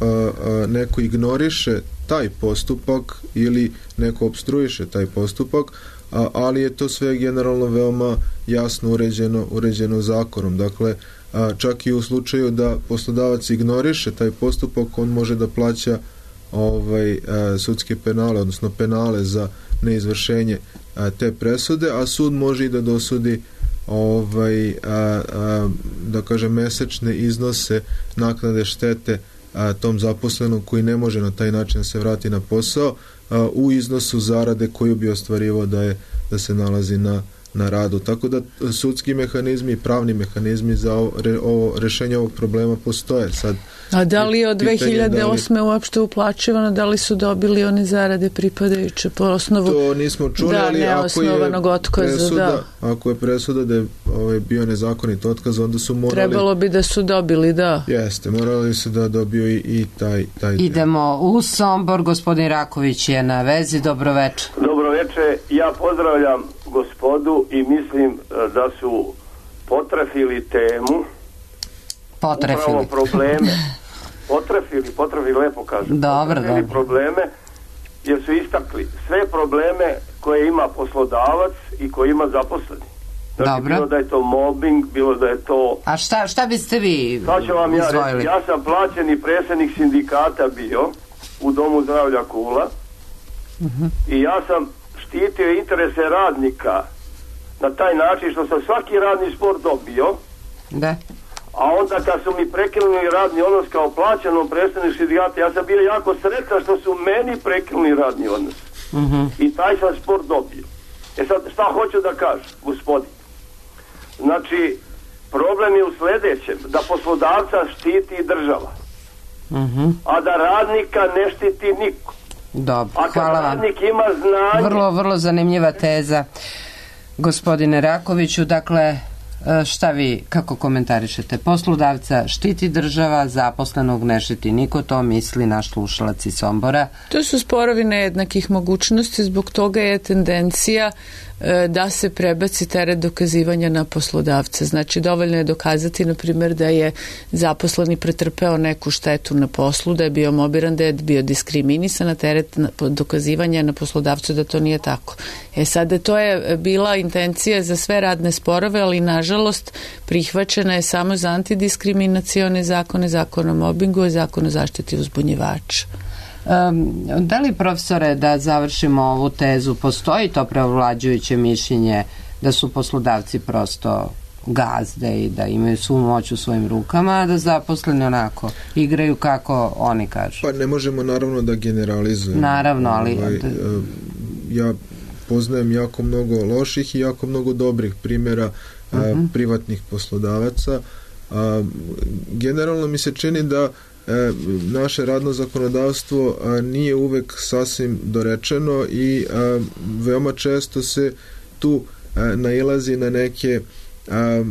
a, a, neko ignoriše taj postupak ili neko obstruiše taj postupak, a, ali je to sve generalno veoma jasno uređeno, uređeno zakonom. Dakle, a, čak i u slučaju da poslodavac ignoriše taj postupak, on može da plaća ovaj, a, sudske penale, odnosno penale za neizvršenje a, te presude, a sud može i da dosudi ovaj, a, a, da kaže mesečne iznose naknade štete a, tom zaposlenom koji ne može na taj način da se vrati na posao a, u iznosu zarade koju bi ostvarivao da je da se nalazi na na radu. Tako da sudski mehanizmi i pravni mehanizmi za ovo, re, ovo rešenje ovog problema postoje. Sad, a da li je od dve hiljade osme da li, uopšte uplaćivano, da li su dobili one zarade pripadajuće po osnovu to nismo čuli, da, ali ako je otkaza, presuda, da. ako je presuda da je ovaj, bio nezakonit otkaz, onda su morali... Trebalo bi da su dobili, da. Jeste, morali su da dobiju i, i taj, taj... Idemo u Sombor, gospodin Raković je na vezi, dobroveče. Dobroveče, ja pozdravljam gospodu i mislim da su potrefili temu, potrefili upravo probleme, potrefili, potrefili, lepo kažem, dobro, potrefili dobro. probleme, jer su istakli sve probleme koje ima poslodavac i koje ima zaposleni. Znači, dobro. Bilo da je to mobbing, bilo da je to... A šta, šta biste vi Sad ću vam ja izvojili? reći, ja sam plaćeni predsjednik sindikata bio u Domu zdravlja Kula uh-huh. i ja sam štitio interese radnika na taj način što sam svaki radni spor dobio, da. A onda kad su mi prekinuli radni odnos kao plaćenom predstavniku sindikata, ja sam bio jako sretan što su meni prekinuli radni odnos. Uh-huh. I taj sam spor dobio. E sad, šta hoću da kažem, gospodin? Znači, problem je u sledećem, da poslodavca štiti država, uh-huh. a da radnika ne štiti niko. Dobro, a kad hvala radnik vam. Ima znanje... Vrlo, vrlo zanimljiva teza, gospodine Rakoviću. Dakle, šta vi, kako komentarišete? Poslodavca štiti država, zaposlenog ne štiti niko, to misli naš slušalac iz Sombora. To su sporovi nejednakih mogućnosti, zbog toga je tendencija da se prebaci teret dokazivanja na poslodavca. Znači, dovoljno je dokazati, na primjer, da je zaposleni pretrpeo neku štetu na poslu, da je bio mobiran, da je bio diskriminisan, a teret dokazivanja na poslodavcu da to nije tako. E sada, to je bila intencija za sve radne sporove, ali nažalost prihvaćena je samo za antidiskriminacione zakone, zakon o mobingu i zakon o zaštiti uzbunjivača. Um, da li, profesore, da završimo ovu tezu, postoji to preovlađujuće mišljenje da su poslodavci prosto gazde i da imaju svu moć u svojim rukama, a da zaposleni onako igraju kako oni kažu? Pa ne možemo naravno da generalizujemo. Naravno, ali... Ovaj, ja poznajem jako mnogo loših i jako mnogo dobrih primjera uh-huh. privatnih poslodavaca. A, generalno mi se čini da E, naše radno zakonodavstvo a, nije uvek sasvim dorečeno i a, veoma često se tu a, nailazi na neke a,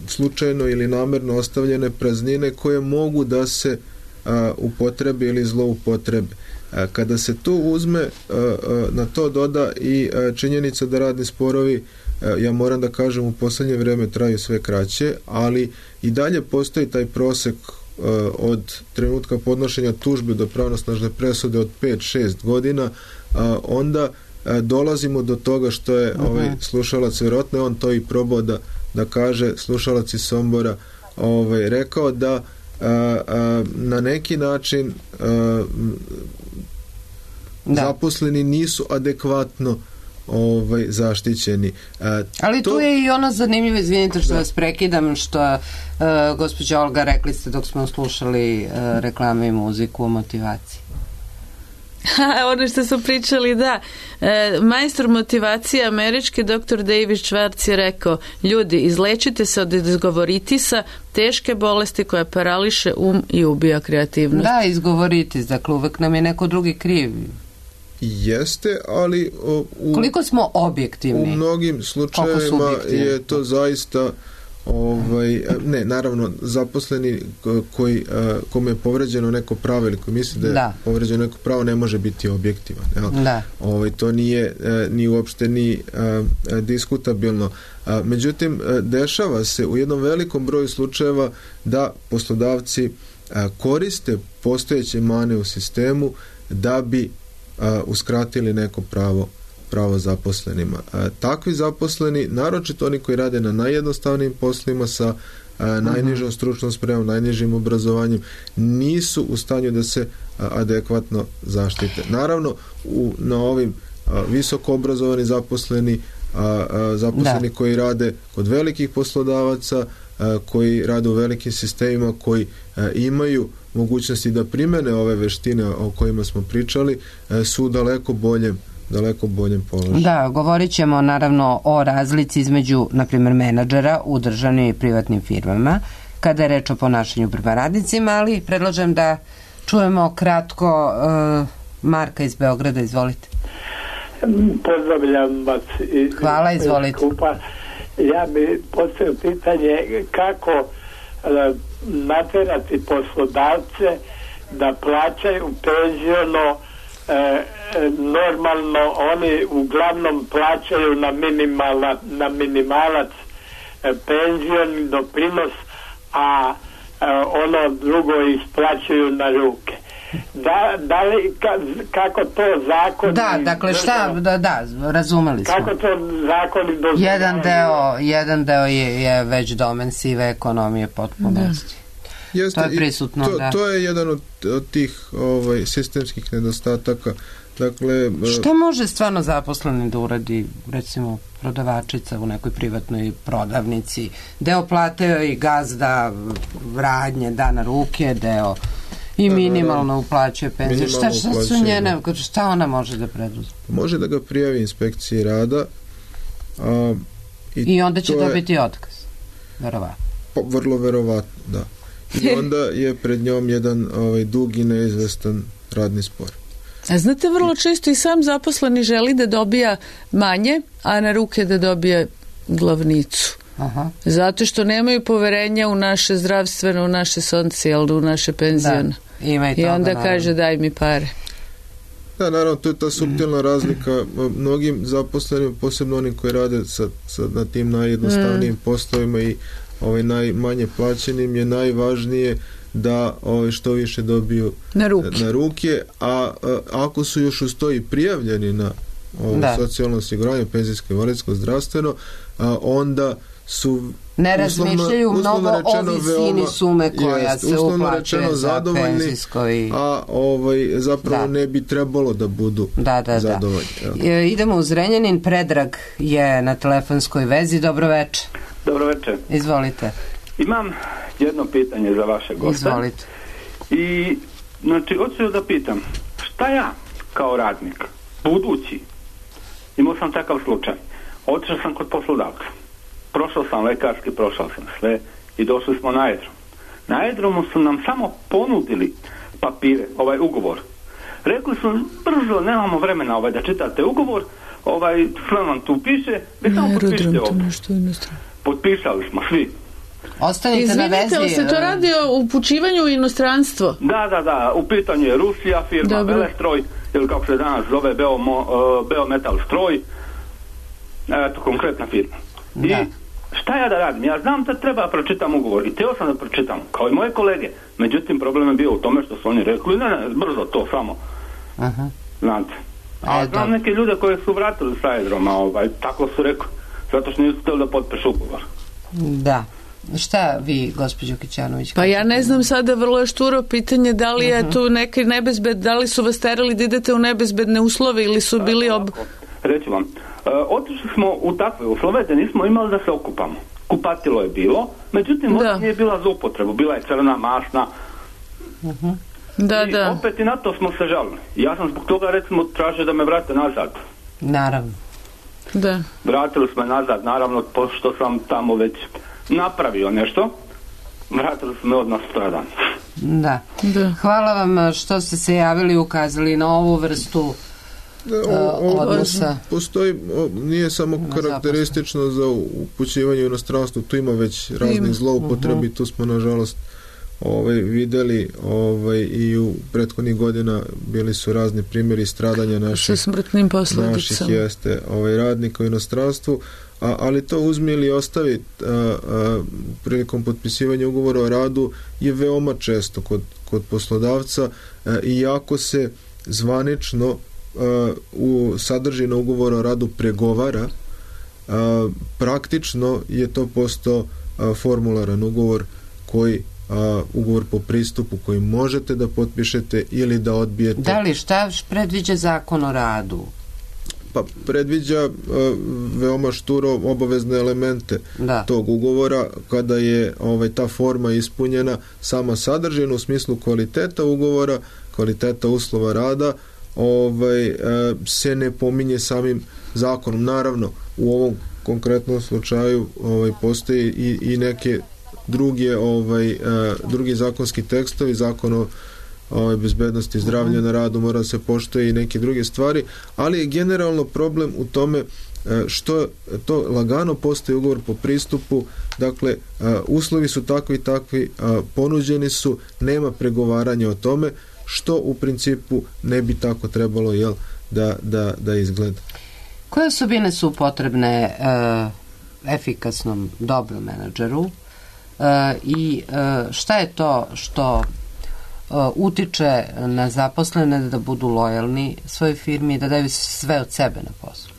slučajno ili namerno ostavljene praznine koje mogu da se a, upotrebe ili zloupotrebe. A, kada se tu uzme, a, a, na to doda i a, činjenica da radni sporovi, a, ja moram da kažem, u poslednje vreme traju sve kraće, ali i dalje postoji taj prosek od trenutka podnošenja tužbe do pravnosnažne presude od pet šest godina, onda dolazimo do toga što je uh-huh. ovaj slušalac, vjerojatno je on to i probao da, da kaže, slušalac iz Sombora, ovaj, rekao da a, a, na neki način a, zaposleni nisu adekvatno ovaj, zaštićeni. A, Ali to... tu je i ono zanimljivo, izvinite što da. vas prekidam, što uh, gospođa Olga, rekli ste dok smo slušali uh, reklame i muziku o motivaciji. Ono što su pričali, da. E, majstor motivacije američki doktor David Schwartz je rekao: ljudi, izlečite se od izgovoritisa, teške bolesti koja parališe um i ubija kreativnost. Da, izgovoritis, dakle uvek nam je neko drugi kriv. Jeste, ali o, u, koliko smo objektivni? U mnogim slučajevima je to zaista ovaj, ne, naravno zaposleni koji, kome je povređeno neko pravo ili koji misli da je da. povređeno neko pravo ne može biti objektivan. Da. Ovaj, to nije ni uopšte ni a, diskutabilno. A, međutim, dešava se u jednom velikom broju slučajeva da poslodavci a, koriste postojeće mane u sistemu da bi a, uskratili neko pravo pravo zaposlenima. A, takvi zaposleni, naročito oni koji rade na najjednostavnijim poslima sa a, najnižom stručnom spremom, najnižim obrazovanjem, nisu u stanju da se a, adekvatno zaštite. Naravno, u, na ovim a, visoko obrazovani zaposleni, a, a, zaposleni da. koji rade kod velikih poslodavaca, a, koji rade u velikim sistemima, koji a, imaju mogućnosti da primene ove veštine o kojima smo pričali, a, su daleko boljem daleko boljem položaju. Da, govorit ćemo naravno o razlici između, na primjer, menadžera u državnim i privatnim firmama, kada je reč o ponašanju prema radnicima, ali predlažem da čujemo kratko uh, Marka iz Beograda, izvolite. Pozdravljam vas. Iz, Hvala, izvolite. Skupa. Ja bi postavio pitanje kako uh, naterati poslodavce da plaćaju penziono. E, normalno oni uglavnom plaćaju na, minimala, na minimalac e, penzioni doprinos, a e, ono drugo isplaćuju na ruke. Da, da li, ka, kako to zakon... Da, dakle šta, da, da, razumeli smo. Kako to zakoni dozvoljavaju? Jedan deo, jedan deo je, je već domen sive ekonomije potpunosti. Jeste, to je prisutno, to, da. To je jedan od, od tih ovaj, sistemskih nedostataka. Dakle, šta može stvarno zaposleni da uradi, recimo prodavačica u nekoj privatnoj prodavnici? Deo plate i gazda radnje da na ruke, deo i minimalno uplaćuje penziju. Šta, šta su njene, šta ona može da preduzme? Može da ga prijavi inspekciji rada. A, i, I onda će dobiti je, otkaz. Verovatno. Pa, vrlo verovatno, da. I onda je pred njom jedan ovaj, dug i neizvestan radni spor. A znate, vrlo često i sam zaposleni želi da dobija manje, a na ruke da dobije glavnicu. Aha. Zato što nemaju poverenja u naše zdravstveno, u naše socijalno, u naše penzione. I onda naravno kaže daj mi pare. Da, naravno, to je ta suptilna razlika. Mnogim zaposlenim, posebno onim koji rade sa, sa, na tim najjednostavnijim mm. poslovima i ovaj, najmanje plaćenim, je najvažnije da ovaj, što više dobiju na ruke, na ruke a, a ako su još uz to i prijavljeni na ovaj, socijalno osiguranje, penzijsko, invalidsko, zdravstveno, a, onda su ne razmišljaju mnogo o visini veoma, sume koja jest, se uplaćuje za penzijsko i... a ovaj, zapravo da. ne bi trebalo da budu da, da, zadovoljni. Da. E, idemo u Zrenjanin. Predrag je na telefonskoj vezi. Dobro večer. Dobro večer. Izvolite. Imam jedno pitanje za vaše goste. Izvolite. I, znači, hoću da pitam, šta ja kao radnik, budući, imao sam takav slučaj, otišao sam kod poslodavca, prošao sam lekarski, prošao sam sve i došli smo na aerodrom. Na aerodromu su nam samo ponudili papire, ovaj ugovor. Rekli su, brzo, nemamo vremena ovaj, da čitate ugovor, ovaj, sve vam tu piše, vi samo potpišite ovo. Potpisali smo svi. Ostanite Izvinite, na vezi. Izvinite, se to radi o upućivanju u inostranstvo? Da, da, da. U pitanju je Rusija, firma Dobro. Belestroj, ili kako se danas zove Beomo, uh, Beometal Stroj. Eto, konkretna firma. Da. I šta ja da radim? Ja znam da treba pročitam ugovor i teo sam da pročitam, kao i moje kolege. Međutim, problem je bio u tome što su oni rekli, ne, ne, brzo to samo. Aha. Znate. A znam neke ljude koje su vratili sa aerodroma, ovaj, tako su rekli, zato što nisu htjeli da potpišu ugovor. Da. Šta vi, gospođo Kićanović? Pa ja ne znam sada, vrlo je šturo pitanje da li je tu neki nebezbed, da li su vas terali da idete u nebezbedne uslove ili su bili ob... Reći vam, e, otišli smo u takve uslove da nismo imali da se okupamo. Kupatilo je bilo, međutim voda nije bila za upotrebu, bila je crna, mašna. Uh-huh. Da, I da. opet i na to smo se žalili. Ja sam zbog toga recimo tražio da me vrate nazad. Naravno. Da. Vratili smo nazad, naravno, pošto sam tamo već napravio nešto, vratili smo me odmah sutradan. Da. da. Hvala vam što ste se javili i ukazali na ovu vrstu o, o, odnosa. Postoji, o, nije samo karakteristično za upućivanje u inostranstvu, tu ima već raznih zloupotrebi, uh-huh. tu smo nažalost ovaj, videli ovaj, i u prethodnih godina bili su razni primjeri stradanja naših, naših jeste ovaj, radnika u inostranstvu, a, ali to uzmi ili ostavi a, a, prilikom potpisivanja ugovora o radu je veoma često kod, kod poslodavca a, i jako se zvanično a, u sadržinu ugovora o radu pregovara, a, praktično je to postao a, formularan ugovor koji a, ugovor po pristupu koji možete da potpišete ili da odbijete. Da li šta predviđa zakon o radu? Pa predviđa uh, veoma šturo obavezne elemente da. tog ugovora kada je ovaj, ta forma ispunjena, sama sadržina u smislu kvaliteta ugovora, kvaliteta uslova rada ovaj, uh, se ne pominje samim zakonom. Naravno, u ovom konkretnom slučaju ovaj, postoji i, i neke druge, ovaj, uh, drugi zakonski tekstovi, zakon o Ovaj, bezbednosti zdravlja na radu, mora se poštoje i neke druge stvari, ali je generalno problem u tome što to lagano postoji ugovor po pristupu, dakle uslovi su takvi i takvi, ponuđeni su, nema pregovaranja o tome, što u principu ne bi tako trebalo jel, da, da, da izgleda. Koje osobine su potrebne uh, efikasnom dobrom menadžeru uh, i uh, šta je to što utiče na zaposlene da budu lojalni svojoj firmi i da daju sve od sebe na poslu?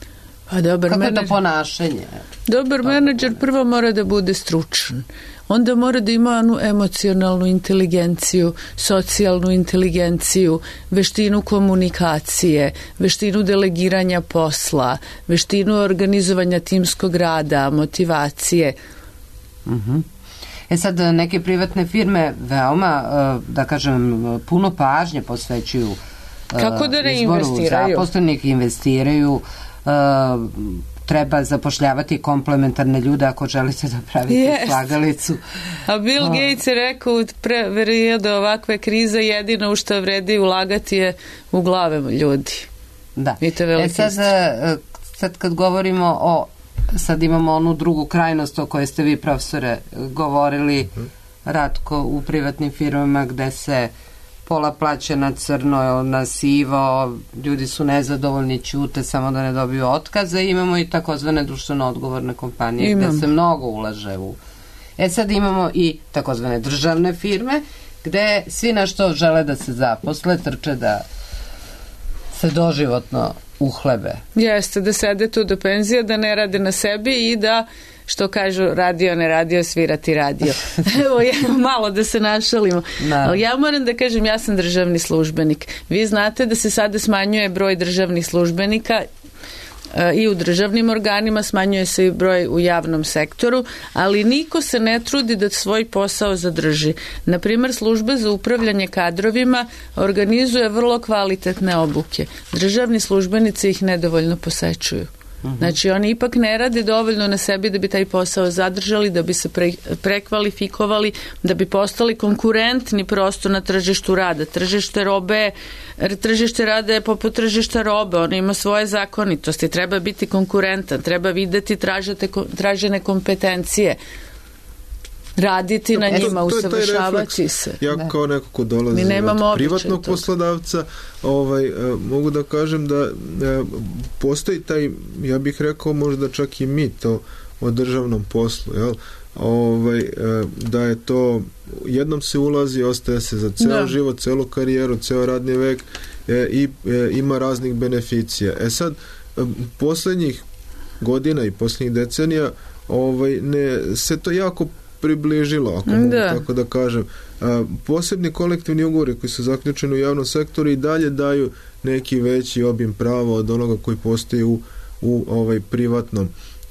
Pa dobar Kako menadžer, je to ponašanje? Dobar menadžer prvo mora da bude stručan. Onda mora da ima onu emocionalnu inteligenciju, socijalnu inteligenciju, veštinu komunikacije, veštinu delegiranja posla, veštinu organizovanja timskog rada, motivacije. Mhm. E sad, neke privatne firme veoma, da kažem, puno pažnje posvećuju Kako da ne investiraju? Zaposlenih investiraju, treba zapošljavati komplementarne ljude ako želite da pravite yes. slagalicu. A Bill Gates je rekao u periodu ovakve krize jedino u što vredi ulagati je u glave ljudi. Da. E sad, sad kad govorimo o sad imamo onu drugu krajnost o kojoj ste vi, profesore, govorili, Ratko, u privatnim firmama gde se pola plaća na crno, na sivo, ljudi su nezadovoljni, ćute samo da ne dobiju otkaze. Imamo i takozvane društveno odgovorne kompanije Imam. gde se mnogo ulaže u... E sad imamo i takozvane državne firme gde svi na što žele da se zaposle, trče da se doživotno uhlebe. Jeste, da sede tu do penzija, da ne rade na sebi i da, što kažu, radio, ne radio, svirati radio. Evo, ja, malo da se našalimo. No. Ali ja moram da kažem, ja sam državni službenik. Vi znate da se sada smanjuje broj državnih službenika i u državnim organima, smanjuje se i broj u javnom sektoru, ali niko se ne trudi da svoj posao zadrži. Naprimer, služba za upravljanje kadrovima organizuje vrlo kvalitetne obuke. Državni službenici ih nedovoljno posećuju. Znači, oni ipak ne rade dovoljno na sebi da bi taj posao zadržali, da bi se pre, prekvalifikovali, da bi postali konkurentni prosto na tržištu rada. Tržište robe, tržište rada je poput tržišta robe, ono ima svoje zakonitosti, treba biti konkurentan, treba videti tražete, tražene kompetencije. raditi na njima, to, to usavršavati se. Ja da. kao neko ko dolazi od privatnog poslodavca, ovaj, mogu da kažem da postoji taj, ja bih rekao možda čak i mit o, o državnom poslu, jel? Ovaj, da je to jednom se ulazi, ostaje se za ceo da. život, celu karijeru, ceo radni vek i ima raznih beneficija. E sad, poslednjih godina i poslednjih decenija ovaj, ne, se to jako približilo, ako mogu da. tako da kažem. A, posebni kolektivni ugovori koji su zaključeni u javnom sektoru i dalje daju neki veći obim prava od onoga koji postoji u, u ovaj, privatnom.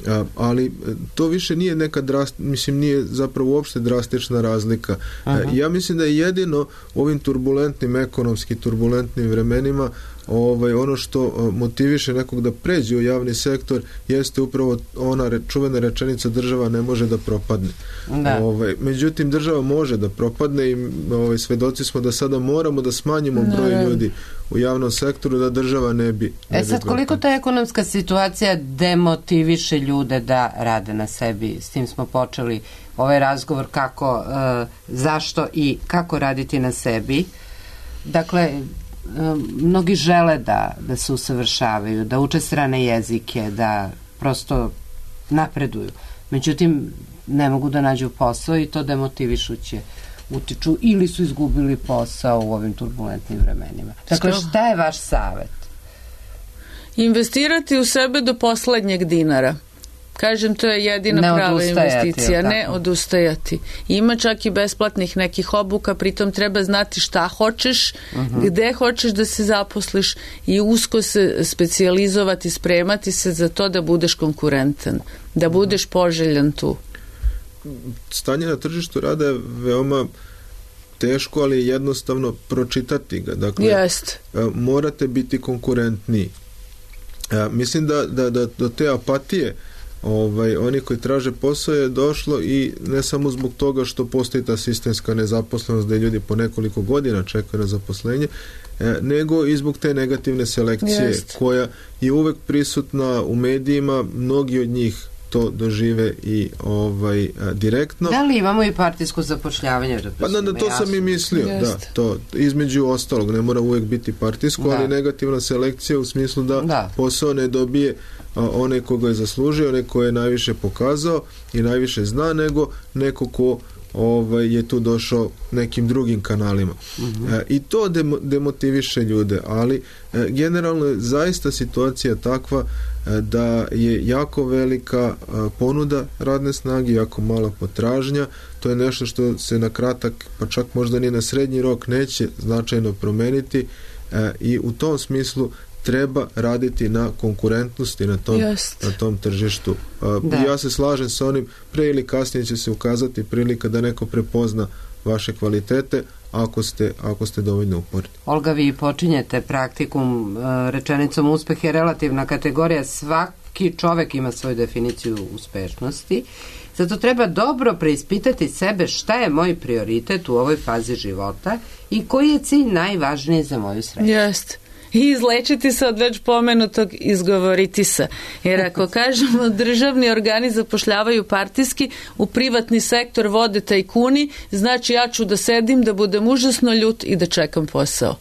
A, ali to više nije neka drast, mislim nije zapravo uopšte drastična razlika. A, ja mislim da je jedino u ovim turbulentnim, ekonomski turbulentnim vremenima ovaj, ono što motiviše nekog da pređe u javni sektor jeste upravo ona re, čuvena rečenica država ne može da propadne. Da. Ovaj, međutim, država može da propadne i ovaj, svedoci smo da sada moramo da smanjimo broj ne. ljudi u javnom sektoru da država ne bi ne E sad, bi koliko ta ekonomska situacija demotiviše ljude da rade na sebi? S tim smo počeli ovaj razgovor kako, uh, zašto i kako raditi na sebi. Dakle, mnogi žele da, da se usavršavaju, da uče strane jezike, da prosto napreduju. Međutim, ne mogu da nađu posao i to demotivišuće utiču ili su izgubili posao u ovim turbulentnim vremenima. Dakle, šta je vaš savet? Investirati u sebe do poslednjeg dinara. Kažem, to je jedina ne prava investicija. Ne odustajati. Ima čak i besplatnih nekih obuka, pritom treba znati šta hoćeš, uh-huh. gde hoćeš da se zaposliš i usko se specijalizovati, spremati se za to da budeš konkurentan, da budeš poželjan tu. Stanje na tržištu rada je veoma teško, ali jednostavno pročitati ga. Dakle, Jest. morate biti konkurentniji. Mislim da, da, da do te apatije Ovaj, oni koji traže posao je došlo i ne samo zbog toga što postoji ta sistemska nezaposlenost da ljudi po nekoliko godina čekaju na zaposlenje, e, nego i zbog te negativne selekcije Jest. koja je uvek prisutna u medijima, mnogi od njih to dožive i ovaj a, direktno. Da li imamo i partijsko zapošljavanje? Pa da, da to jasno. sam i mislio, Jest. da, to između ostalog, ne mora uvek biti partijsko, da. ali negativna selekcija u smislu da, da. posao ne dobije a, onaj koga je zaslužio, onaj ko je najviše pokazao i najviše zna, nego neko ko ovaj, je tu došao nekim drugim kanalima. Uh-huh. E, I to demo, demotiviše ljude, ali e, generalno je zaista situacija takva e, da je jako velika e, ponuda radne snage, jako mala potražnja. To je nešto što se na kratak, pa čak možda ni na srednji rok neće značajno promeniti e, i u tom smislu treba raditi na konkurentnosti na tom, na tom tržištu. Da. Ja se slažem sa onim, pre ili kasnije će se ukazati prilika da neko prepozna vaše kvalitete ako ste, ako ste dovoljno uporni. Olga, vi počinjete praktikum rečenicom uspeh je relativna kategorija, svaki čovek ima svoju definiciju uspešnosti, zato treba dobro preispitati sebe šta je moj prioritet u ovoj fazi života i koji je cilj najvažniji za moju sreću. Jeste. I izlečiti se od već pomenutog izgovoriti se. Jer ako kažemo državni organi zapošljavaju partijski, u privatni sektor vode tajkuni, znači ja ću da sedim, da budem užasno ljut i da čekam posao.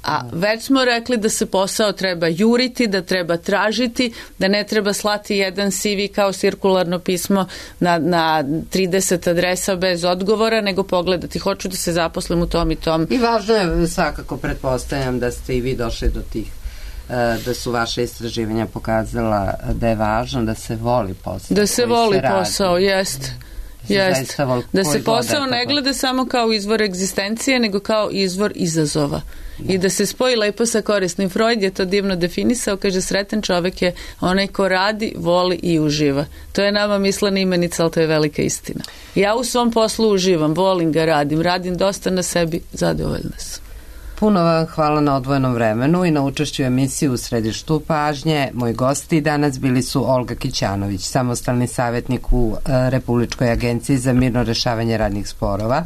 A već smo rekli da se posao treba juriti, da treba tražiti, da ne treba slati jedan C V kao cirkularno pismo na, na trideset adresa bez odgovora, nego pogledati hoću da se zaposlim u tom i tom. I važno je svakako, pretpostavljam da ste i vi došli do tih, da su vaše istraživanja pokazala da je važno da se voli posao. Da se voli se posao, jest. Jest. Da se posao ne gleda samo kao izvor egzistencije, nego kao izvor izazova. I da se spoji lepo sa korisnim. Freud je to divno definisao, kaže sretan čovek je onaj ko radi, voli i uživa. To je nama mislena imenica, ali to je velika istina. Ja u svom poslu uživam, volim ga, radim, radim dosta na sebi, zadovoljna sam. Puno vam hvala na odvojenom vremenu i na učešću u emisiji U središtu pažnje. Moji gosti danas bili su Olga Kićanović, samostalni savjetnik u Republičkoj agenciji za mirno rešavanje radnih sporova,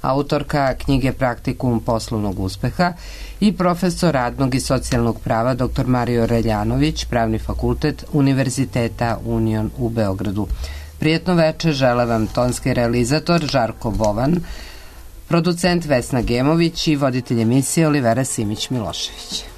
autorka knjige Praktikum poslovnog uspeha, i profesor radnog i socijalnog prava dr Mario Reljanović, Pravni fakultet Univerziteta Union u Beogradu. Prijetno veče žele vam tonski realizator Žarko Bovan, producent Vesna Gemović i voditelj emisije Olivera Simić-Milošević.